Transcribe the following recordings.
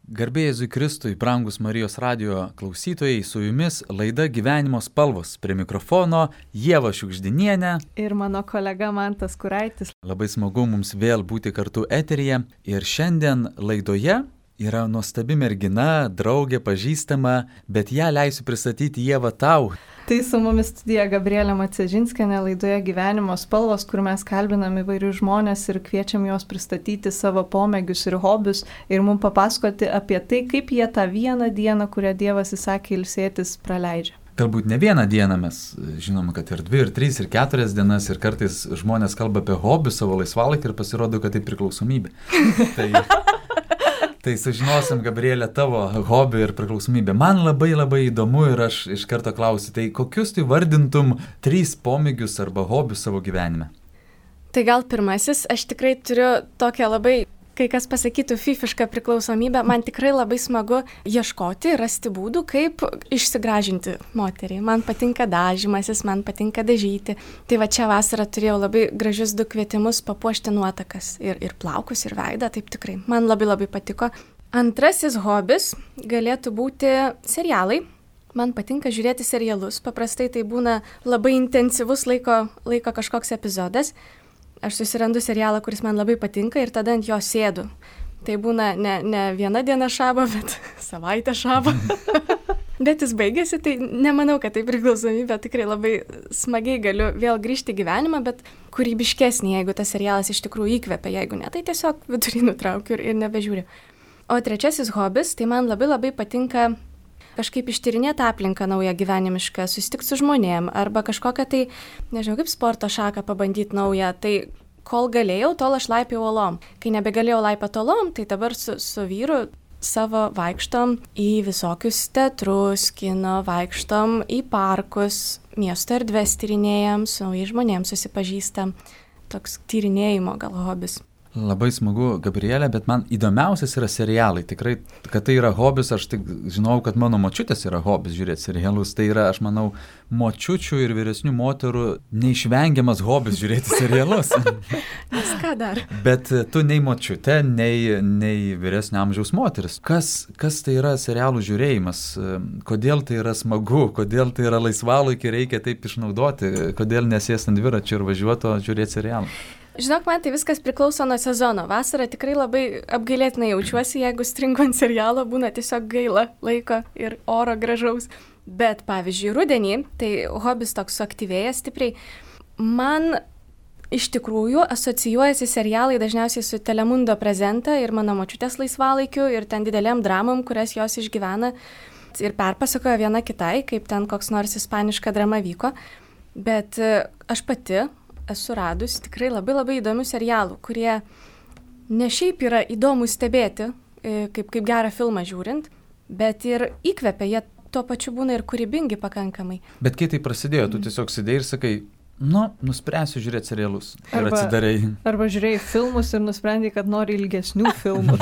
Garbė Jėzui Kristui, brangus Marijos radijo klausytojai, su jumis laida Gyvenimo spalvos. Prie mikrofono Ieva Šiugždinienė. Ir mano kolega Mantas Kuraitis. Labai smagu mums vėl būti kartu eteryje. Ir šiandien laidoje yra nuostabi mergina, draugė, pažįstama, bet ją leisiu pristatyti Ieva tau. Tai su mumis studija Gabrielė Macežinskienė laidoje Gyvenimo spalvos, kur mes kalbinam įvairius žmonės ir kviečiam juos pristatyti savo pomėgius ir hobius ir mums papasakoti apie tai, kaip jie tą vieną dieną, kurią Dievas įsakė ilsėtis, praleidžia. Galbūt ne vieną dieną, mes žinom, kad ir 2, ir 3, ir 4 dienas, ir kartais žmonės kalba apie hobius savo laisvalaikį ir pasirodo, kad tai priklausomybė. Tai sužinosim, Gabrielė, tavo hobį ir priklausomybę. Man labai įdomu ir aš iš karto klausiu, tai kokius tu vardintum 3 pomėgius arba hobius savo gyvenime? Tai gal pirmasis, aš tikrai turiu tokią labai, kai kas pasakytų, fifišką priklausomybę. Man tikrai labai smagu ieškoti, rasti būdų, kaip išsigražinti moterį. Man patinka dažymasis, man patinka dažyti. Tai va čia vasarą turėjau labai gražius 2 kvietimus papuošti nuotakas. Ir plaukus, ir veidą, taip tikrai. Man labai patiko. Antrasis hobis galėtų būti serialai. Man patinka žiūrėti serialus. Paprastai tai būna labai intensyvus laiko kažkoks epizodas. Aš susirandu serialą, kuris man labai patinka ir tada ant jo sėdu. Tai būna ne viena diena šabo, bet savaitę šabo. Bet jis baigėsi, tai nemanau, kad tai priklausomybė. Tikrai labai smagiai galiu vėl grįžti į gyvenimą, bet kūrybiškesnį, jeigu tas serialas iš tikrųjų įkvepia. Jeigu ne, tai tiesiog vidury nutraukiu ir nebežiūriu. O trečiasis hobis, tai man labai patinka kažkaip ištyrinėti aplinką naują gyvenimišką, susitikti su žmonėm arba kažkokią tai, nežinau, kaip sporto šaką pabandyti naują. Tai kol galėjau, tol aš laipiau uolom. Kai nebegalėjau laipati uolom, tai dabar su vyru savo vaikštom į visokius teatrus, kino, vaikštom į parkus, miesto erdves tyrinėjam, su naujais žmonėms susipažįstam. Toks tyrinėjimo gal hobis. Labai smagu, Gabrielė, bet man įdomiausias yra serialai. Tikrai, kad tai yra hobis, aš tik žinau, kad mano močiutės yra hobis žiūrėti serialus. Tai yra, aš manau, močiučių ir vyresnių moterų neišvengiamas hobis žiūrėti serialus. Nes ką dar? Bet tu nei močiutė, nei vyresnio amžiaus moteris. Kas tai yra serialų žiūrėjimas? Kodėl tai yra smagu? Kodėl tai yra laisvalaikį reikia taip išnaudoti? Kodėl nesėsti ant dviračio ir važiuoti, o žiūrėti serialą? Žinok, man tai viskas priklauso nuo sezono. Vasarą tikrai labai apgailėtinai jaučiuosi, jeigu stringu ant serialo, būna tiesiog gaila laiko ir oro gražaus. Bet pavyzdžiui, rudenį, tai hobis toks suaktyvėja stipriai. Man iš tikrųjų asocijuojasi serialai dažniausiai su Telemundo Presenta ir mano močiutės laisvalaikiu ir ten didelėm dramom, kurias jos išgyvena ir perpasakoja viena kitai, kaip ten koks nors ispaniška drama vyko. Bet aš pati esu radus tikrai labai įdomių serialų, kurie ne šiaip yra įdomu stebėti, kaip gerą filmą žiūrint, bet ir įkvepia, jie tuo pačiu būna ir kūrybingi pakankamai. Bet kai tai prasidėjo, tu tiesiog sėdėjai ir sakai, nuspręsiu žiūrėti serialus. Ir atsidarai. Arba žiūrėjai filmus ir nusprendai, kad nori ilgesnių filmų.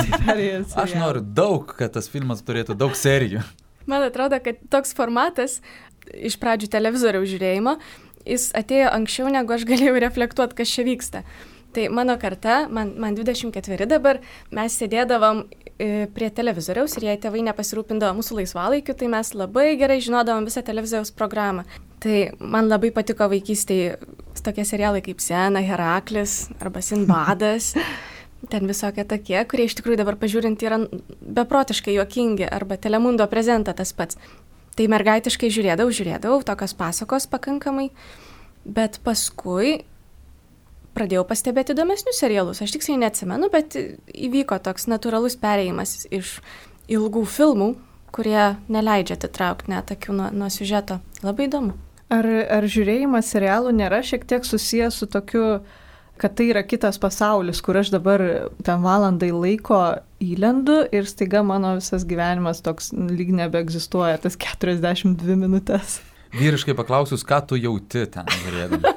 Aš noriu daug, kad tas filmas turėtų daug serijų. Man atrodo, kad toks formatas iš pradžių televizoriaus žiūrėjimo, jis atėjo anksčiau, negu aš galėjau reflektuoti, kas čia vyksta. Tai mano karta, man 24 dabar, mes sėdėdavom prie televizoriaus ir jei tėvai nepasirūpindavo mūsų laisvalaikiu, tai mes labai gerai žinodavom visą televizoriaus programą. Tai man labai patiko vaikystėje tokie serialai kaip Sena, Heraklis arba Sinbadas. Ten visokie tokie, kurie iš tikrųjų dabar pažiūrint yra beprotiškai juokingi, arba Telemundo Presenta tas pats. Tai mergaitiškai žiūrėdavau, tokios pasakos pakankamai, bet paskui pradėjau pastebėti įdomesnius serialus. Aš tiksliai neatsimenu, bet įvyko toks natūralus perėjimas iš ilgų filmų, kurie neleidžia atitraukti net akių nuo siužeto. Labai įdomu. Ar žiūrėjimas serialų nėra šiek tiek susijęs su tokiu, kad tai yra kitas pasaulis, kur aš dabar ten valandai laiko įlendu ir staiga mano visas gyvenimas toks lyg nebeegzistuoja, tas 42 minutės. Vyriškai paklausius, ką tu jauti ten žiūrėdama?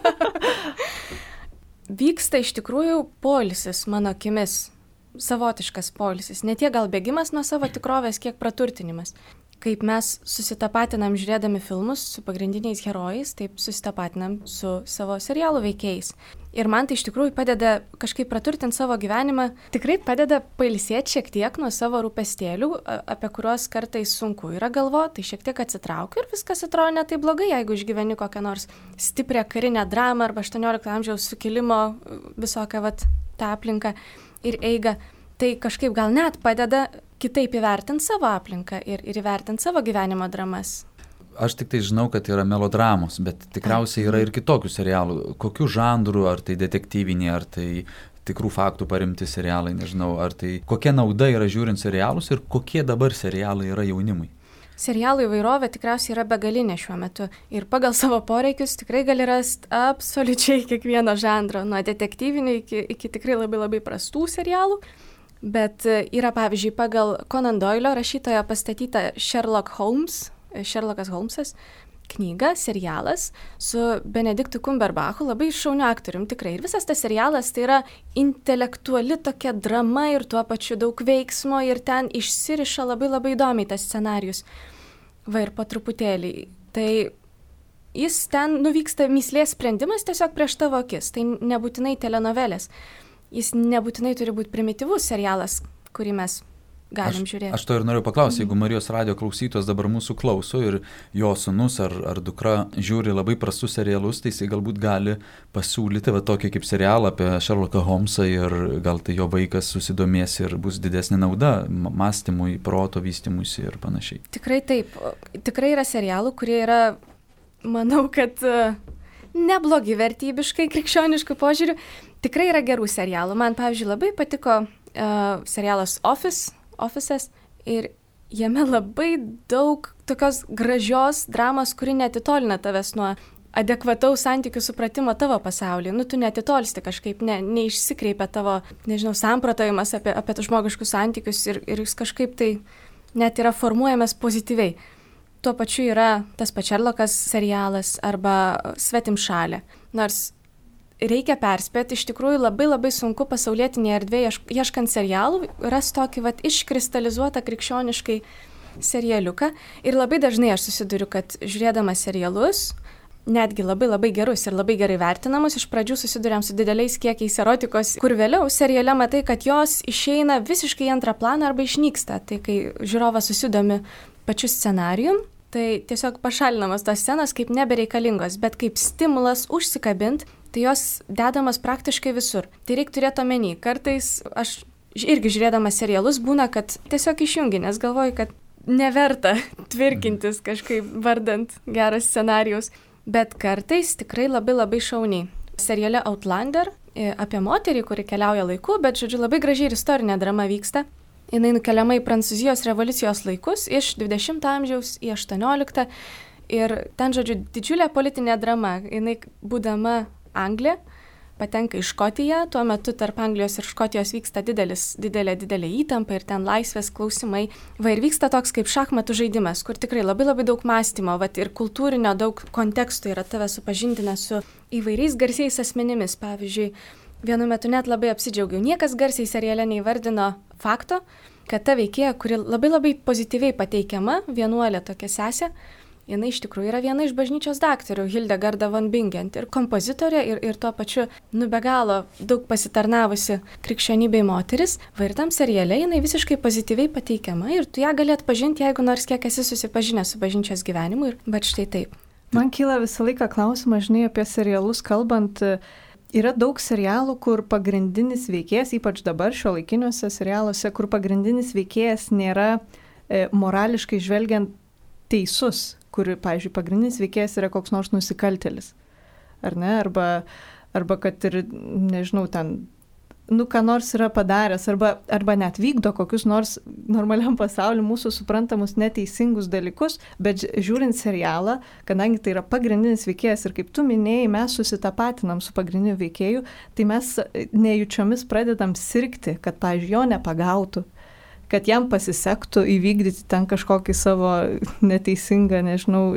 Vyksta iš tikrųjų poilsis mano akimis, savotiškas poilsis. Ne tiek gal bėgimas nuo savo tikrovės, kiek praturtinimas. kaip mes susitapatinam žiūrėdami filmus su pagrindiniais herojais, taip susitapatinam su savo serialų veikėjais. Ir man tai iš tikrųjų padeda kažkaip praturtinti savo gyvenimą, tikrai padeda pailsėti šiek tiek nuo savo rūpestėlių, apie kuriuos kartais sunku yra galvoti, tai šiek tiek atsitraukiu ir viskas atrodo ne taip blogai, jeigu išgyveni kokią nors stiprią karinę dramą arba 18 amžiaus sukilimo visokią tą aplinką ir eigą. Tai kažkaip gal net padeda kitaip įvertinti savo aplinką ir įvertinti savo gyvenimo dramas. Aš tik tai žinau, kad yra melodramos, bet tikriausiai yra ir kitokių serialų. Kokių žanrų, ar tai detektyviniai, ar tai tikrų faktų paremti serialai, nežinau, ar tai kokia nauda yra žiūrint serialus ir kokie dabar serialai yra jaunimui. Serialų įvairovė tikriausiai yra begalinė šiuo metu ir pagal savo poreikius tikrai gali rasti absoliučiai kiekvieno žanro, nuo detektyvinių iki tikrai labai labai prastų serialų. Bet yra, pavyzdžiui, pagal Conan Doylio rašytojo pastatyta Sherlockas Holmsas knyga, serialas su Benediktu Cumberbatchu, labai šauniu aktorium tikrai. Ir visas tas serialas tai yra intelektuali tokia drama ir tuo pačiu daug veiksmo ir ten išsiriša labai labai įdomiai tas scenarijus. Va ir po truputėlį. Tai jis ten nuvyksta mįslės sprendimas tiesiog prieš tavo akis. Tai nebūtinai telenovelės. Jis nebūtinai turi būti primityvus serialas, kurį mes galim žiūrėti. Aš to ir noriu paklausti, jeigu Marijos radijo klausytos dabar mūsų klauso ir jo sūnus ar dukra žiūri labai prastus serialus, tai jisai galbūt gali pasiūlyti tokį kaip serialą apie Sherlocką Holmsą ir gal tai jo vaikas susidomės ir bus didesnė nauda mąstymui, proto vystymuisi ir panašiai. Tikrai taip. Tikrai yra serialų, kurie yra, manau, kad neblogi vertybiškai, krikščioniškų požiūrių. Tikrai yra gerų serialų. Man, pavyzdžiui, labai patiko serialas Office'as ir jame labai daug tokios gražios dramos, kuri netitolina tavęs nuo adekvataus santykių supratimo tavo pasaulyje. Tu netitolsti kažkaip, neišsikreipia tavo, samprotavimas apie žmogiškus santykius ir jis kažkaip tai net yra formuojamas pozityviai. Tuo pačiu yra tas pats Sherlockas serialas arba Svetimšalė. Nors reikia perspėti, iš tikrųjų labai labai sunku pasaulietinėje erdvėje ieškant serialų, ras tokį iškristalizuotą krikščioniškai serialiuką. Ir labai dažnai aš susiduriu, kad žiūrėdama serialus, netgi labai labai gerus ir labai gerai vertinamus, iš pradžių susiduriam su dideliais kiekiais erotikos, kur vėliau seriale matai, kad jos išeina visiškai į antrą planą arba išnyksta. Tai kai žiūrovas susidomi pačiu scenarijum, tai tiesiog pašalinamos tos scenos kaip nebereikalingos, bet kaip stimulas užsikabint, tai jos dedamas praktiškai visur. Tai reikia turėti omeny. Kartais aš irgi žiūrėdama serialus būna, kad tiesiog išjungi, nes galvoju, kad neverta tvirkintis kažkaip vardant geras scenarijus. Bet kartais tikrai labai labai šauniai. Seriale Outlander apie moterį, kuri keliauja laiku, bet labai gražiai ir istorinė drama vyksta. Jinai nukeliama į Prancūzijos revoliucijos laikus iš 20 amžiaus į 18. Ir ten, didžiulė politinė drama. Jinai, būdama Anglija, patenka į Škotiją, tuo metu tarp Anglijos ir Škotijos vyksta didelė įtampa ir ten laisvės klausimai. Ir vyksta toks kaip šachmatų žaidimas, kur tikrai labai labai daug mąstymo, ir kultūrinio daug kontekstų yra tave supažindina su įvairiais garsiais asmenimis. Pavyzdžiui, vienu metu net labai apsidžiaugiau. Niekas garsiai seriale neįvardino fakto, kad ta veikėja, kuri labai labai pozityviai pateikiama, vienuolė tokia sesė, jinai iš tikrųjų yra viena iš bažnyčios daktarų, Hildegarda von Bingen, ir kompozitorė, ir tuo pačiu be galo daug pasitarnavusi krikščionybei moteris. Ir tam seriale jinai visiškai pozityviai pateikiama ir tu ją gali atpažinti, jeigu nors kiek esi susipažinęs su bažnyčios gyvenimu, bet štai taip. Man kyla visą laiką klausimas, apie serialus kalbant. Yra daug serialų, kur pagrindinis veikėjas, ypač dabar šiuolaikiniuose serialuose, kur pagrindinis veikėjas nėra morališkai žvelgiant teisus, kur, pavyzdžiui, pagrindinis veikėjas yra koks nors nusikaltėlis. Ar ne? Arba kad ir, ten, ką nors yra padaręs, arba net vykdo kokius nors normaliam pasauliu mūsų suprantamus neteisingus dalykus, bet žiūrint serialą, kadangi tai yra pagrindinis veikėjas ir kaip tu minėjai, mes susitapatinam su pagrindiniu veikėju, tai mes nejučiomis pradedam sirgti, kad, pavyzdžiui, jo nepagautų, kad jam pasisektų įvykdyti ten kažkokį savo neteisingą,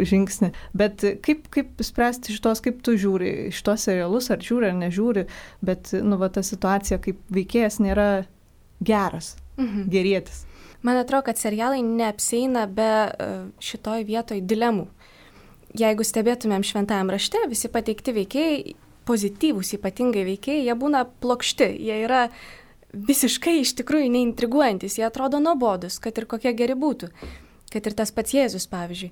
žingsnį. Bet kaip spręsti šitos, kaip tu žiūri šitos serialus, ar žiūri, ar nežiūri, bet ta situacija, kaip veikėjas nėra geras, gerietis. Man atrodo, kad serialai neapseina be šitoj vietoj dilemų. Jeigu stebėtumėm šventajam rašte, visi pateikti veikėjai, pozityvūs ypatingai veikėjai, jie būna plokšti, jie yra visiškai iš tikrųjų neintriguojantis, jie atrodo nuobodus, kad ir kokie geri būtų, kad ir tas pats Jėzus, pavyzdžiui.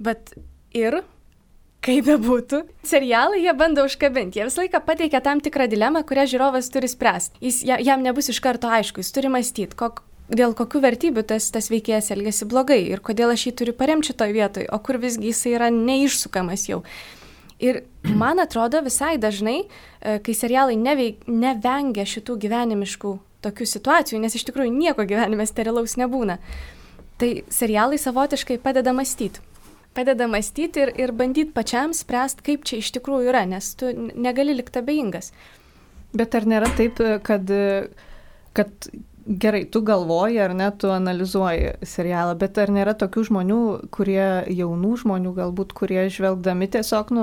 Bet ir, kaip bebūtų, serialai jie bando užkabinti, jie visą laiką pateikia tam tikrą dilemą, kurią žiūrovas turi spręsti. Jam nebus iš karto aišku, jis turi mąstyti, dėl kokių vertybių tas veikėjas elgesi blogai ir kodėl aš jį turiu paremti šitoj vietoj, o kur visgi jis yra neišsukamas jau. Ir man atrodo visai dažnai, kai serialai nevengia šitų gyvenimiškų tokių situacijų, nes iš tikrųjų nieko gyvenime sterilaus nebūna, tai serialai savotiškai padeda mąstyti. Padeda mąstyti ir bandyti pačiam spręsti, kaip čia iš tikrųjų yra, nes tu negali likti abejingas. Bet ar nėra taip, kad gerai, tu galvoji ar ne, tu analizuoji serialą, bet ar nėra tokių žmonių, jaunų žmonių galbūt, kurie žvelgdami tiesiog,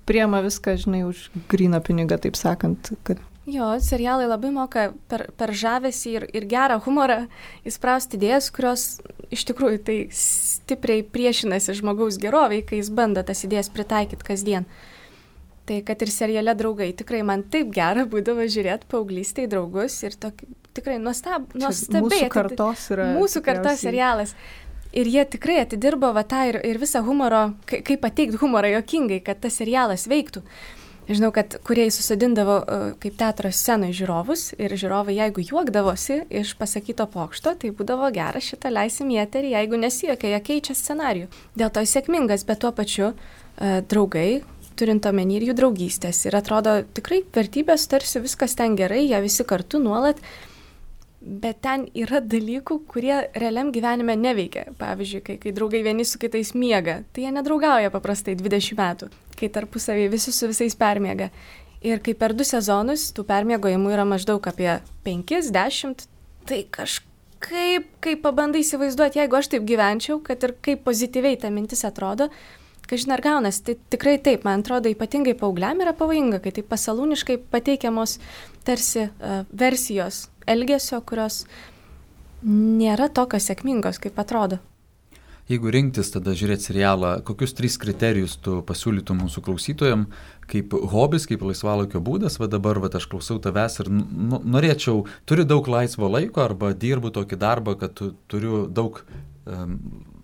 priema viską, žinai, už gryną pinigą, taip sakant, kad... Jo, serialai labai moka per žavesį ir gerą humorą įsprausti idėjas, kurios iš tikrųjų tai stipriai priešinasi žmogaus geroviai, kai jis bando tas idėjas pritaikyti kasdien. Tai kad ir seriale Draugai, tikrai man taip gera būdavo žiūrėti paauglystėj Draugus ir tikrai nuostabiai. Mūsų kartos yra. Mūsų kartos serialas. Ir jie tikrai atidirbo tą ir visą humoro, kaip pateikti humorą juokingai, kad tas serialas veiktų. Žinau, kad kurie susidindavo kaip teatro scenai žiūrovus ir žiūrovai, jeigu juokdavosi iš pasakyto pokšto, tai būdavo gera, šitą leisim į eterį, jeigu nesijuokia, jie keičia scenarijų. Dėl to sėkmingas, bet tuo pačiu Draugai, turint omeny ir jų draugystės. Ir atrodo tikrai vertybės, tarsi viskas ten gerai, jie visi kartu nuolat, bet ten yra dalykų, kurie realiam gyvenime neveikia. Pavyzdžiui, kai draugai vieni su kitais miega, tai jie nedraugauja paprastai 20 metų, kai tarpusavį visi su visais permiega. Ir kai per 2 sezonus tų permiegojimų yra maždaug apie 5-10, tai kažkaip, kai pabandai įsivaizduoti, jeigu aš taip gyvenčiau, kad ir kaip pozityviai ta mintis atrodo, kažin ar gaunas, tai tikrai taip, man atrodo, ypatingai paaugliam yra pavojinga, kai taip pasalūniškai pateikiamos tarsi versijos elgesio, kurios nėra tokios sėkmingos, kaip atrodo. Jeigu rinktis tada žiūrėti serialą, kokius 3 kriterijus tu pasiūlytum mūsų klausytojam, kaip hobis, kaip laisvalaikio būdas, dabar aš klausau tavęs ir norėčiau, turiu daug laisvo laiko arba dirbu tokį darbą, kad turiu daug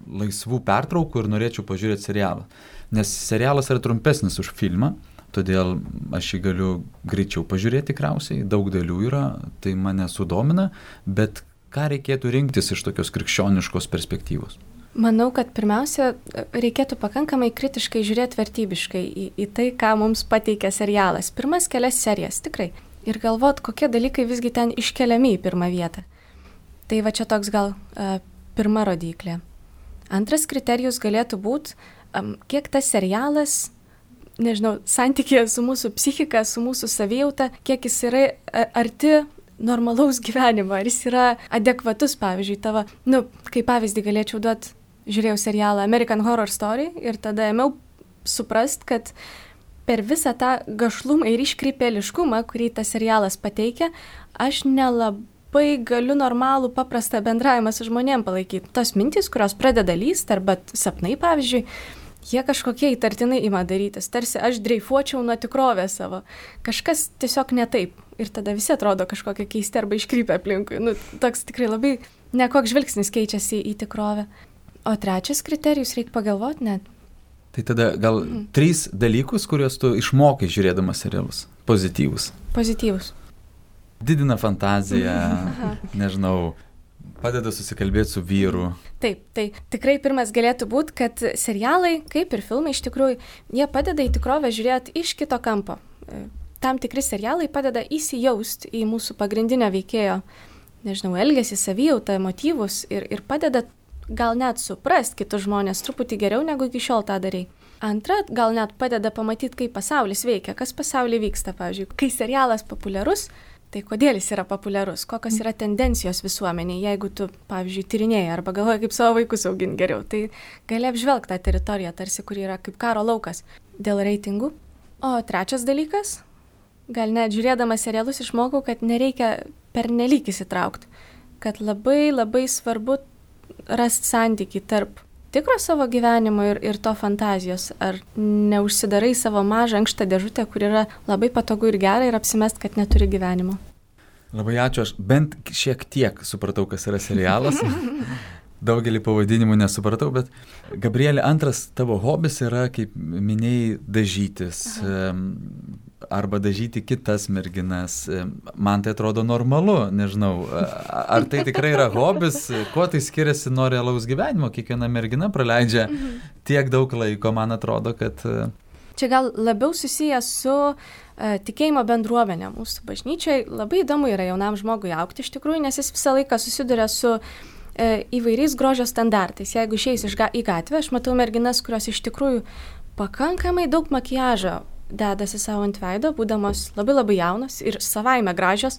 laisvų pertraukų ir norėčiau pažiūrėti serialą. Nes serialas yra trumpesnis už filmą, todėl aš jį galiu greičiau pažiūrėti tikriausiai, daug dalių yra, tai mane sudomina, bet ką reikėtų rinktis iš tokios krikščioniškos perspektyvos? Manau, kad pirmiausia, reikėtų pakankamai kritiškai žiūrėti vertybiškai į tai, ką mums pateikia serialas. Pirmas kelias serijas, tikrai. Ir galvot, kokie dalykai visgi ten iškeliami į pirmą vietą. Tai va čia toks gal pirma rodiklė. Antras kriterijus galėtų būti, kiek tas serialas, nežinau, santykėje su mūsų psichika, su mūsų savijauta, kiek jis yra arti normalaus gyvenimo, ar jis yra adekvatus, pavyzdžiui, tavo, kaip pavyzdį galėčiau duoti, žiūrėjau serialą American Horror Story ir tada ėmiau suprast, kad per visą tą gašlumą ir iškrypėliškumą, kurį tas serialas pateikia, aš nelabai galiu normalų, paprastą bendravimą su žmonėm palaikyti. Tos mintys, kurios pradeda lyst, arba sapnai, pavyzdžiui, jie kažkokie įtartinai ima darytis. Tarsi aš dreifuočiau nuo tikrovės savo. Kažkas tiesiog ne taip. Ir tada visi atrodo kažkokie keisti arba iškrypę aplinkui. Toks tikrai labai nekoks žvilgsnis keičiasi į tikrovę. O trečias kriterijus, reikia pagalvoti net. Tai tada gal 3 dalykus, kuriuos tu išmokai žiūrėdamas serialus. Pozityvus. Didina fantaziją, nežinau, padeda susikalbėti su vyru. Taip, tai tikrai pirmas galėtų būti, kad serialai, kaip ir filmai iš tikrųjų, jie padeda į tikrovę žiūrėti iš kito kampo. Tam tikri serialai padeda įsijausti į mūsų pagrindinio veikėjo, nežinau, elgesį, savijautą, motyvus ir padeda gal net suprast kitus žmonės truputį geriau, negu iki šiol tą darei. Antra, gal net padeda pamatyti, kaip pasaulis veikia, kas pasaulyje vyksta, pavyzdžiui. Kai serialas populiarus, tai kodėl jis yra populiarus, kokios yra tendencijos visuomenėje, jeigu tu, pavyzdžiui, tyrinėjai arba galvoji, kaip savo vaikus auginti geriau, tai gali apžvelgti tą teritoriją, tarsi, kur yra kaip karo laukas dėl reitingų. O trečias dalykas, gal net žiūrėdama serialus išmokau, kad nereikia pernelyg įsitraukti, kad labai labai svarbu rasti santykį tarp tikro savo gyvenimo ir to fantazijos. Ar neužsidarai savo mažą ankštą dėžutę, kur yra labai patogu ir gera ir apsimest, kad neturi gyvenimo. Labai ačiū, aš bent šiek tiek supratau, kas yra serialas. Daugelį pavadinimų nesupratau, bet Gabrielė, antras tavo hobis yra, kaip minėjai, dažytis. Arba dažyti kitas merginas. Man tai atrodo normalu, nežinau, ar tai tikrai yra hobis, kuo tai skiriasi nuo realaus gyvenimo, kiekviena mergina praleidžia tiek daug laiko, man atrodo, kad... Čia gal labiau susijęs su tikėjimo bendruomenė mūsų bažnyčiai. Labai įdomu yra jaunam žmogui augti iš tikrųjų, nes jis visą laiką susiduria su įvairiais grožio standartais. Jeigu išeis į gatvę, aš matau merginas, kurios iš tikrųjų pakankamai daug makiažo dedasi savo ant veido, būdamos labai labai jaunos ir savaime gražios.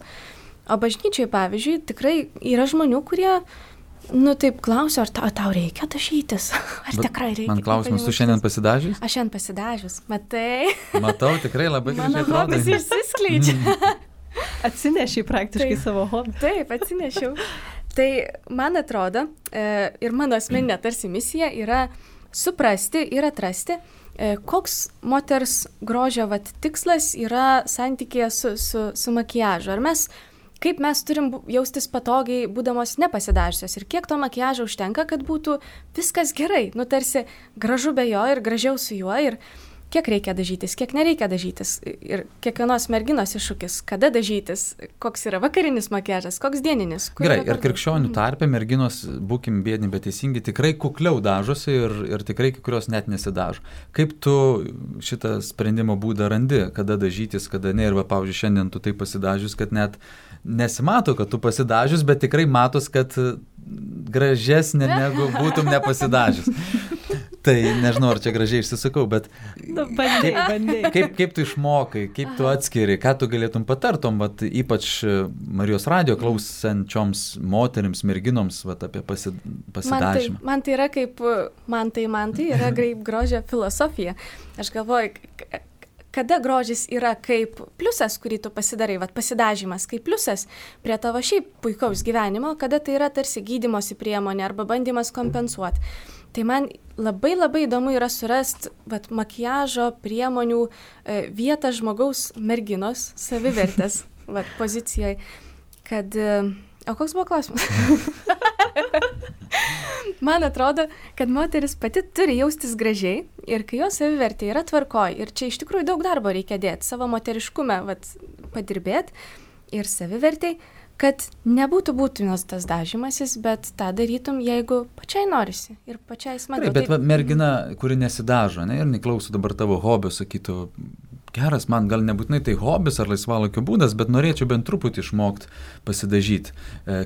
O bažnyčiai, pavyzdžiui, tikrai yra žmonių, kurie, taip klausia, ar tau reikia dažytis? Ar tikrai reikia? Man klausimas, tu šiandien pasidažius? Aš šiandien pasidažius, matai? Matau, tikrai labai gražiai atrodo. Mano hobis išsiskleidžia. Atsinešiai praktiškai savo hobį. Taip, atsinešiau. Tai man atrodo, ir mano asmeninė tarsi misija yra suprasti ir atrasti, koks moters grožio tikslas yra santykėje su makiažu. Kaip mes turim jaustis patogiai, būdamos nepasidažiusios ir kiek to makiažo užtenka, kad būtų viskas gerai. Tarsi gražu be jo ir gražiau su juo ir kiek reikia dažytis, kiek nereikia dažytis. Ir kiekvienos merginos iššūkis, kada dažytis, koks yra vakarinis makiažas, koks dieninis. Gerai, ir krikščionių tarpe merginos, būkim biedni, bet teisingi, tikrai kukliau dažosi ir tikrai kai kurios net nesidažo. Kaip tu šitą sprendimo būdą randi, kada dažytis, kada ne? Ir pavyzdžiui, šiandien tu taip pasidažius, kad net nesimato, kad tu pasidažius, bet tikrai matos, kad gražesnė negu būtum nepasidažius. Tai nežinau, ar čia gražiai išsisakau, bet bandai. Kaip tu išmokai, kaip tu atskiri, ką tu galėtum patartom, ypač Marijos radijo klausančioms moterims, merginoms apie pasidažymą. Man tai yra man tai yra kaip grožio filosofija. Aš galvoju, kada grožis yra kaip pliusas, kurį tu pasidarai, pasidažymas kaip pliusas prie tavo šiaip puikaus gyvenimo, kada tai yra tarsi gydymosi priemonė arba bandymas kompensuoti. Tai man labai labai įdomu yra surasti makiažo priemonių vietą žmogaus merginos savivertės pozicijoje. O koks buvo klausimas? Man atrodo, kad moteris pati turi jaustis gražiai ir kai jos savivertė yra tvarkoj. Ir čia iš tikrųjų daug darbo reikia dėti, savo moteriškume padirbėti ir savivertei, kad nebūtų būtinas tas dažymasis, bet tą darytum, jeigu pačiai norisi ir pačiai smagu. Bet mergina, kuri nesidažo, ir neklauso dabar tavo hobio, sakytų, geras, man gal nebūtinai tai hobis ar laisvalaikio būdas, bet norėčiau bent truputį išmokti pasidažyti.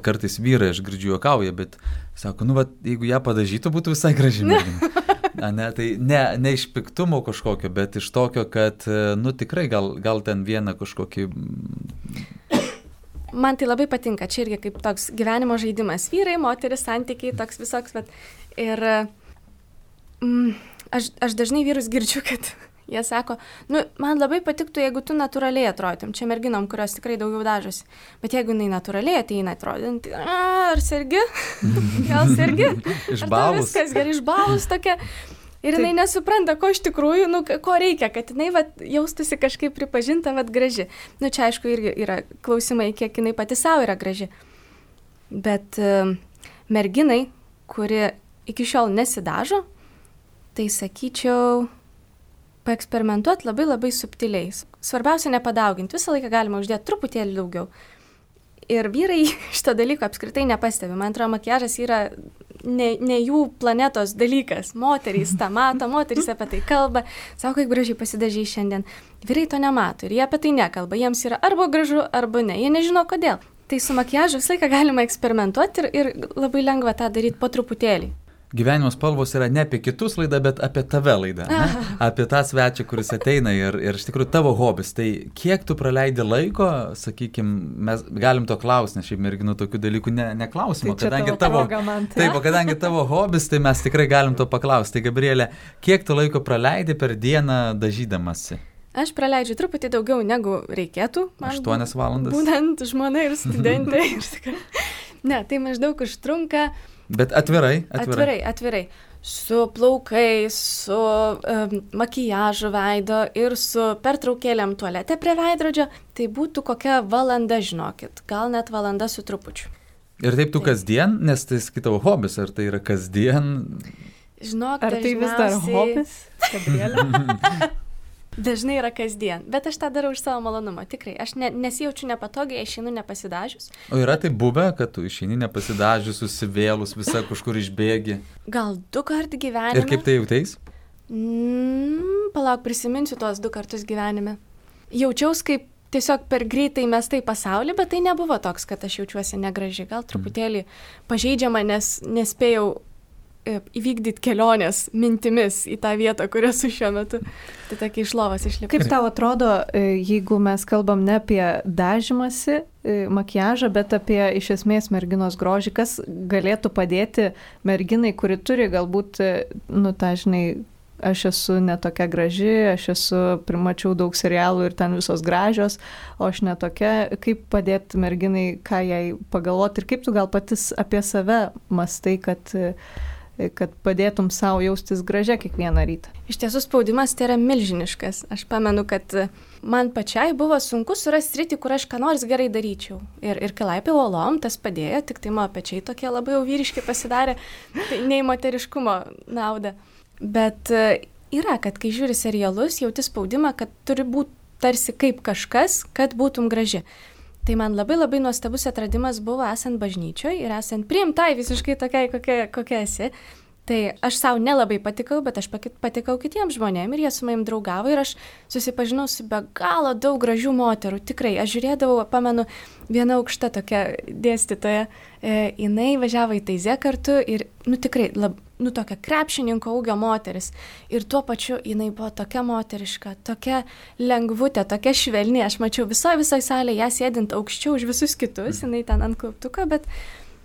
Kartais vyrai, aš girdžiu, juokauja, bet sako, jeigu ją padažytų, būtų visai graži mergina. Tai ne iš piktumo kažkokio, bet iš tokio, kad, tikrai gal ten vieną kažkokį... Man tai labai patinka, čia irgi kaip toks gyvenimo žaidimas. Vyrai, moteris, santykiai, toks visoks, ir aš dažnai vyrus girdžiu, kad jie sako, man labai patiktų, jeigu tu natūraliai atrodytum, čia merginom, kurios tikrai daugiau dažosi, bet jeigu jinai natūraliai ateina atrodinti, ar sergi? Gal sergi? Išbalus. Viskas gerai, išbalus tokia. Ir jinai nesupranta, ko iš tikrųjų, ko reikia, kad jinai jaustųsi kažkaip pripažinta, graži. Čia aišku irgi yra klausimai, kiek jinai pati savo yra graži. Bet merginai, kuri iki šiol nesidažo, tai sakyčiau, paeksperimentuoti labai labai subtiliai. Svarbiausia nepadauginti, visą laiką galima uždėti truputėlį daugiau. Ir vyrai šito dalyko apskritai nepastebi. Man atrodo, makiažas yra ne jų planetos dalykas. Moterys tą mato, moterys apie tai kalba, sako, kaip gražiai pasidažai šiandien. Vyrai to nemato ir jie apie tai nekalba. Jiems yra arba gražu, arba ne. Jie nežino kodėl. Tai su makiažu visą laiką galima eksperimentuoti ir labai lengva tą daryti po truputėlį. Gyvenimo spalvos yra ne apie kitus laidą, bet apie tave laidą. Apie tą svečią, kuris ateina ir iš tikrųjų tavo hobis. Tai kiek tu praleidi laiko, sakykime, mes galim to klausti, nes šiaip merginų tokių dalykų neklausimo. Tai kadangi tavo hobis, tai mes tikrai galim to paklausti. Tai Gabrielė, kiek tu laiko praleidi per dieną dažydamasi? Aš praleidžiu truputį daugiau negu reikėtų. 8 valandas. Būtent žmona ir studentė. Ne, tai maždaug užtrunka. Bet atvirai. Atvirai. Su plaukais, su makijažu veido ir su pertraukėlėm tualete prie veidrodžio, tai būtų kokia valanda, žinokit, gal net valanda su trupučiu. Ir taip tu kasdien, nes tai tavo hobis, ar tai yra kasdien? Žinok, ar tai vis dar hobis, Gabrielė? Dažnai yra kasdien, bet aš tą darau iš savo malonumo, tikrai. Aš nesijaučiu nepatogiai, išeinu nepasidažius. O yra tai buvę, kad tu išeini nepasidažius, susivėlus, visą kažkur išbėgi? Gal 2 kartų gyvenime. Ir kaip tai jauteis? Palauk, prisiminsiu tuos 2 kartus gyvenime. Jaučiaus kaip tiesiog per greitai mestai pasaulį, bet tai nebuvo toks, kad aš jaučiuosi negražiai. Gal truputėlį pažeidžiama, nes nespėjau įvykdyti kelionės mintimis į tą vietą, kur esu šiuo metu. Tai tokia iš lovos išlipa. Kaip tau atrodo, jeigu mes kalbam ne apie dažymąsi, makiažą, bet apie iš esmės merginos grožį, kas galėtų padėti merginai, kuri turi galbūt, žinai, aš esu netokia graži, primačiau daug serialų ir ten visos gražios, o aš netokia, kaip padėti merginai, ką jai pagalvoti ir kaip tu gal patys apie save mastai, kad padėtum savo jaustis gražia kiekvieną rytą. Iš tiesų spaudimas tai yra milžiniškas. Aš pamenu, kad man pačiai buvo sunku surasti sritį, kur aš ką nors gerai daryčiau. Ir kai laipiau uolom, tas padėjo, tik tai mano pečiai tokie labai jau vyriški pasidarė, tai nei moteriškumo nauda. Bet yra, kad kai žiūri serialus, jauti spaudimą, kad turi būti tarsi kaip kažkas, kad būtum graži. Tai man labai labai nuostabus atradimas buvo esant bažnyčioje ir esant priimtai visiškai tokiai, kokia esi. Tai aš savo nelabai patikau, bet aš patikau kitiems žmonėms ir jie su manim draugavo ir aš susipažinau su be galo daug gražių moterų. Tikrai, aš žiūrėdavau, pamenu, viena aukšta tokia dėstytoja, jinai važiavo į Taizę kartu ir, tikrai, tokia krepšininko ūgio moteris. Ir tuo pačiu jinai buvo tokia moteriška, tokia lengvutė, tokia švelni. Aš mačiau visoje salėje ją sėdint aukščiau už visus kitus, jinai ten ant klauptuko, bet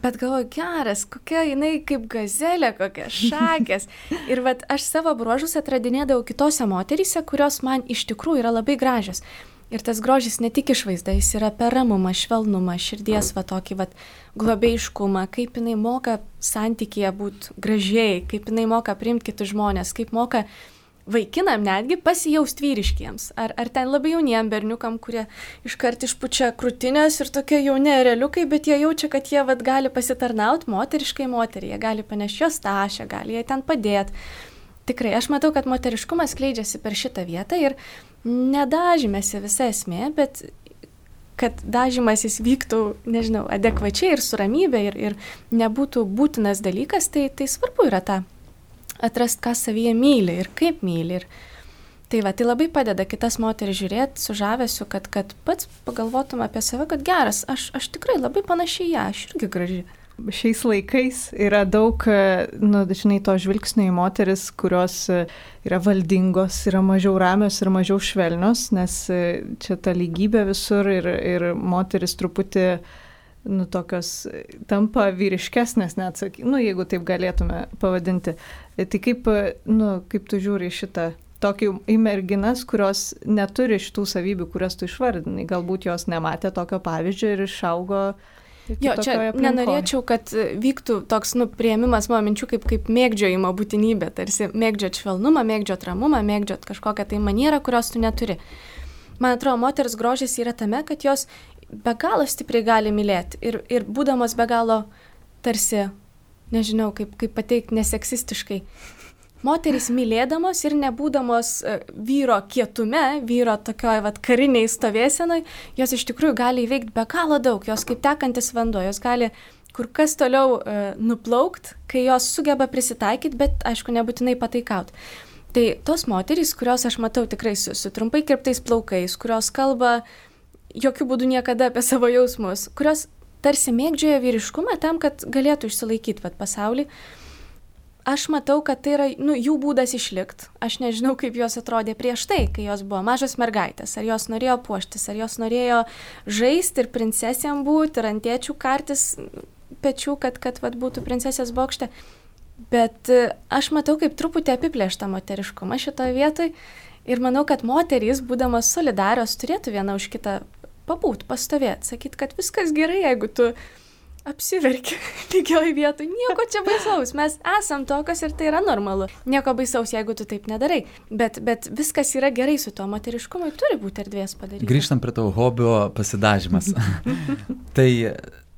galvoju, geras, kokia jinai kaip gazelė, kokia šakės. Ir aš savo bruožus atradinėdavau kitose moteryse, kurios man iš tikrųjų yra labai gražios. Ir tas grožis ne tik išvaizda, jis yra per ramumą, švelnumą, širdies tokį globėjiškumą, kaip jinai moka santykyje būti gražiai, kaip jinai moka priimti kitus žmonės, kaip moka vaikinam netgi pasijausti vyriškiems. Ar ten labai jauniem berniukam, kurie iškart išpučia krūtinės ir tokie jauni ereliukai, bet jie jaučia, kad jie gali pasitarnauti moteriškai moteriai, jie gali panešti jos tašę, gali jai ten padėti. Tikrai, aš matau, kad moteriškumas skleidžiasi per šitą vietą ir nedažymėsi visa esmė, bet kad dažymasis vyktų, nežinau, adekvačiai ir su ramybė ir nebūtų būtinas dalykas, tai svarbu yra tą atrast, ką savyje myli ir kaip myli. Ir tai labai padeda kitas moteris žiūrėti su žavesiu, kad pats pagalvotum apie save, kad geras, aš tikrai labai panašiai ją, aš irgi graži. Šiais laikais yra daug, dažnai to žvilgsnio į moteris, kurios yra valdingos, yra mažiau ramios ir mažiau švelnios, nes čia ta lygybė visur ir moteris truputį tokios tampa vyriškesnės, net jeigu taip galėtume pavadinti. Tai kaip tu žiūri šitą tokį į merginas, kurios neturi šitų savybių, kurias tu išvardinai, galbūt jos nematė tokio pavyzdžio ir išaugo. Jo, čia nenorėčiau, kad vyktų toks priėmimas mano minčių kaip mėgdžiojimo būtinybė, tarsi mėgdžiot švelnumą, mėgdžiot ramumą, mėgdžiot kažkokią tai manierą, kurios tu neturi. Man atrodo, moters grožis yra tame, kad jos be galo stipriai gali mylėti ir būdamos be galo tarsi, nežinau, kaip pateikti neseksistiškai. Moterys mylėdamos ir nebūdamos vyro kietume, vyro tokioj kariniai stovėsenoj, jos iš tikrųjų gali įveikti be galo daug, jos kaip tekantis vanduo, jos gali kur kas toliau nuplaukt, kai jos sugeba prisitaikyti, bet aišku nebūtinai pataikauti. Tai tos moterys, kurios aš matau tikrai su trumpai kirptais plaukais, kurios kalba jokių būdų niekada apie savo jausmus, kurios tarsi mėgdžioja vyriškumą tam, kad galėtų išsilaikyti pasaulį. Aš matau, kad tai yra jų būdas išlikti. Aš nežinau, kaip jos atrodė prieš tai, kai jos buvo mažos mergaitės. Ar jos norėjo puoštis, ar jos norėjo žaisti ir princesėm būti, ir ant tėčių kartis pečių, kad būtų princesės bokšte. Bet aš matau, kaip truputį apiplėštą moteriškumą šitoje vietoje. Ir manau, kad moterys, būdamas solidarios, turėtų viena už kitą pabūt, pastovėti, sakyti, kad viskas gerai, jeigu tu apsiverki lygioj vietoj, nieko čia baisaus, mes esam tokios ir tai yra normalu. Nieko baisaus, jeigu tu taip nedarai, bet viskas yra gerai su to moteriškumui, turi būti erdvės padaryti. Grįžtam prie tavo hobio pasidažymas. Tai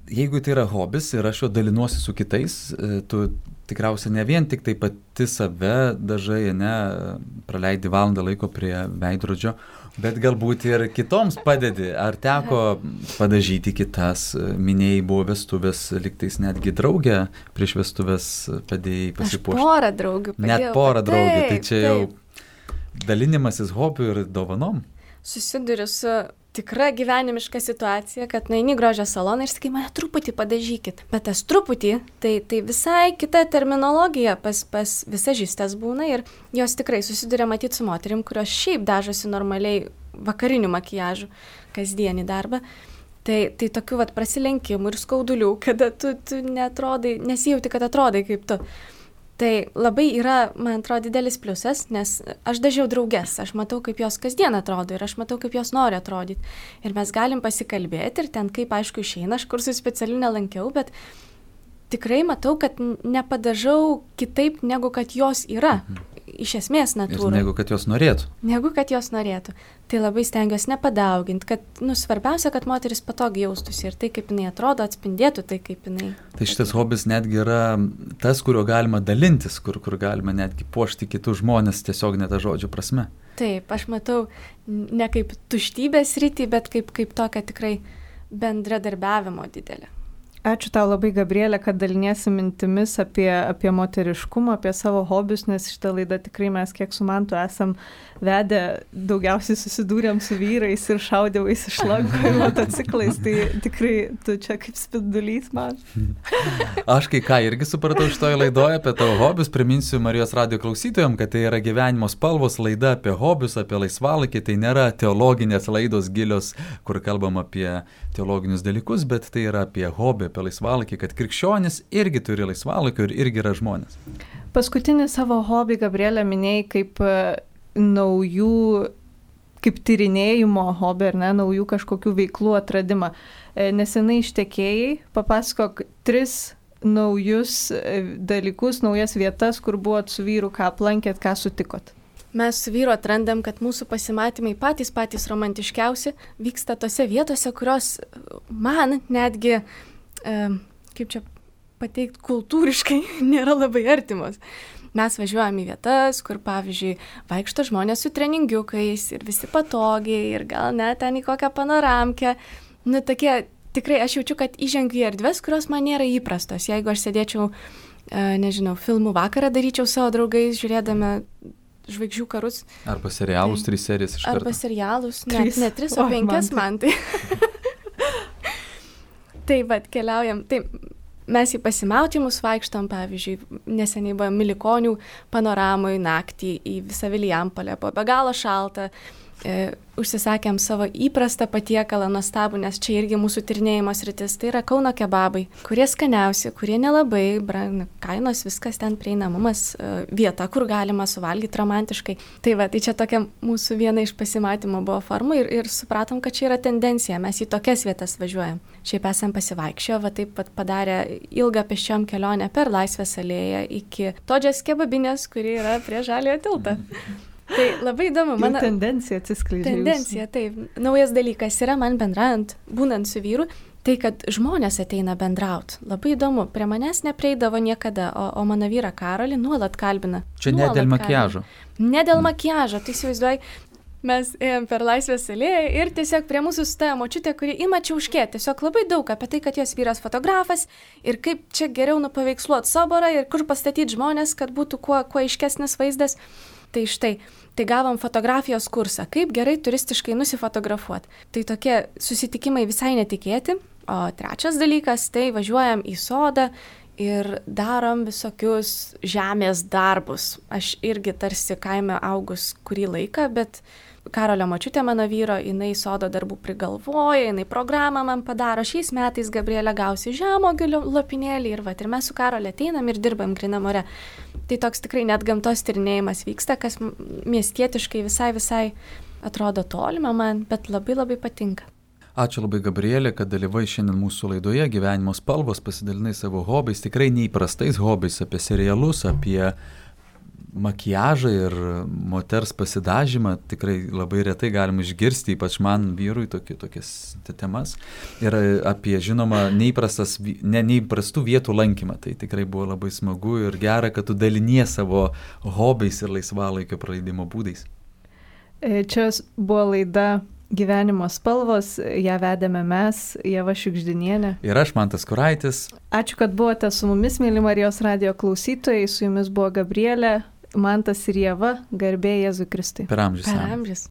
jeigu tai yra hobis ir aš jo dalinuosi su kitais, tu tikriausiai ne vien tik tai pati save dažai, praleidi valandą laiko prie veidrodžio, bet galbūt ir kitoms padedi. Ar teko padažyti kitas? Minėjai, buvo vestuvės, liktais netgi draugė prieš vestuvės padėjai pasipuošti. Aš porą draugių padėjau. Net porą draugių, tai čia jau dalinimasis hobių ir dovanom. Susiduriu su tikra gyvenimiška situacija, kad nueini grožio saloną ir sakai, mane truputį padažykit. Bet tas truputį, tai visai kita terminologija pas visažistės būna ir jos tikrai susiduria matyti su moterim, kurios šiaip dažosi normaliai vakarinių makiažų kasdienį darbą. Tai tokių prasilenkimų ir skaudulių, kada tu nesijauti, kad atrodai kaip tu. Tai labai yra, man atrodo, didelis pliusas, nes aš dažiau drauges, aš matau, kaip jos kasdien atrodo ir aš matau, kaip jos nori atrodyti. Ir mes galim pasikalbėti ir ten, kaip aišku, išeina, aš kursų specialių nelankiau, bet tikrai matau, kad nepadažau kitaip, negu kad jos yra. Iš esmės natūra. Ir negu kad jos norėtų. Negu kad jos norėtų. Tai labai stengiuosi nepadauginti, kad, svarbiausia, kad moteris patogiai jaustųsi ir tai, kaip jinai atrodo, atspindėtų tai, kaip jinai. Tai šitas hobis netgi yra tas, kurio galima dalintis, kur galima netgi puošti kitus žmonės tiesiog ne tą žodžio prasme. Taip, aš matau ne kaip tuštybės rytį, bet kaip tokią tikrai bendradarbiavimo didelę. Ačiū tau labai, Gabrielė, kad daliniesi mintimis apie moteriškumą, apie savo hobius, nes šitą laidą tikrai mes, kiek su Mantu esam vedę, daugiausiai susidūrėm su vyrais ir šaudėvais iš lanko ir motociklais, tai tikrai tu čia kaip spindulys man. Aš kai ką irgi supratau šitoje laidoje apie tavo hobius, priminsiu Marijos radijo klausytojams, kad tai yra gyvenimo spalvos laida apie hobius, apie laisvalaikį, tai nėra teologinės laidos gilios, kur kalbam apie teologinius dalykus, bet tai yra apie hobį, apie laisvalaikį, kad krikščionis irgi turi laisvalaikio ir irgi yra žmonės. Paskutinį savo hobį, Gabrielė, minėjai kaip naujų, kaip tyrinėjimo hobį, ar ne, naujų kažkokių veiklų atradimą. Nesenai ištekėjai, papasakok 3 naujus dalykus, naujas vietas, kur buvot su vyru, ką aplankėt, ką sutikot. Mes su vyru atrandam, kad mūsų pasimatymai patys romantiškiausi vyksta tose vietose, kurios man netgi, kaip čia pateikti, kultūriškai nėra labai artimos. Mes važiuojam į vietas, kur, pavyzdžiui, vaikšto žmonės su treningiukais ir visi patogiai ir gal net ten į kokią panoramkę. Tokie, tikrai aš jaučiu, kad įžengiu į erdves, kurios man nėra įprastos. Jeigu aš sėdėčiau, nežinau, filmų vakarą daryčiau savo draugais, žiūrėdami Žvaigždžių karus. Arba serialus, 3 serijas iš karto. Arba serialus, ne 3, o 5 man tai. Tai keliaujam. Tai mes į pasimatymus vaikštam, pavyzdžiui, neseniai buvo Milikonių panoramoj naktį į visą Vilijampolę, buvo be galo šalta. Užsisakėm savo įprastą patiekalą nuostabų, nes čia irgi mūsų tyrinėjimo sritis, tai yra Kauno kebabai, kurie skaniausi, kurie nelabai, kainos, viskas ten prieinamumas, vieta, kur galima suvalgyti romantiškai. Tai čia tokia mūsų viena iš pasimatymo buvo formų ir supratom, kad čia yra tendencija, mes į tokias vietas važiuojam. Šiaip esam pasivaikščioję, taip padarę ilgą pėsčiom kelionę per Laisvės alėją iki Todžios kebabinės, kuri yra prie Žaliojo tilto. Tai labai įdomu. Mano tendencija atsiskleidžia. Tendencija, taip. Naujas dalykas yra man bendraujant, būnant su vyru, tai kad žmonės ateina bendraut. Labai įdomu. Prie manęs neprieidavo niekada, o mano vyrą Karolį nuolat kalbina. Čia ne dėl makiažo. Ne dėl makiažo, tai įsivaizduoji. Mes ėjom per Laisvės alėją ir tiesiog prie mūsų stojo močiutė, kuri ima čiauškėti. Tiesiog labai daug apie tai, kad jos vyras fotografas ir kaip čia geriau nupaveiksluoti soborą ir kur pastatyti žmonės, kad būtų kuo aiškesnis vaizdas. Tai štai, tai gavom fotografijos kursą, kaip gerai turistiškai nusifotografuoti. Tai tokie susitikimai visai netikėti. O 3 dalykas, tai važiuojam į sodą ir darom visokius žemės darbus. Aš irgi tarsi kaime augus kurį laiką, bet Karolio močiutė mano vyro, jinai sodo darbų prigalvoja, jinai programą man padaro. Šiais metais Gabrielė gausi žemuogių lopinėlį ir mes su Karoliu ateinam ir dirbam grynam ore. Tai toks tikrai net gamtos tyrinėjimas vyksta, kas miestietiškai visai atrodo tolima man, bet labai patinka. Ačiū labai, Gabrielė, kad dalyvai šiandien mūsų laidoje Gyvenimo spalvos, pasidalinai savo hobiais, tikrai neįprastais hobiais, apie serialus, apie makiažą ir moters pasidažymą. Tikrai labai retai galim išgirsti, ypač man, vyrui, tokias temas. Ir apie, žinoma, neįprastų vietų lankymą. Tai tikrai buvo labai smagu ir gera, kad tu dalinies savo hobiais ir laisvalaikio praleidimo būdais. Čia buvo laida Gyvenimo spalvos, ją vedėme mes, Ieva Šiugždinienė. Ir aš, Mantas Kuraitis. Ačiū, kad buvote su mumis, mėly Marijos radijo klausytojai. Su jumis buvo Gabrielė, Mantas ir Ieva, garbė Jėzui Kristui. Per amžius. Per amžius.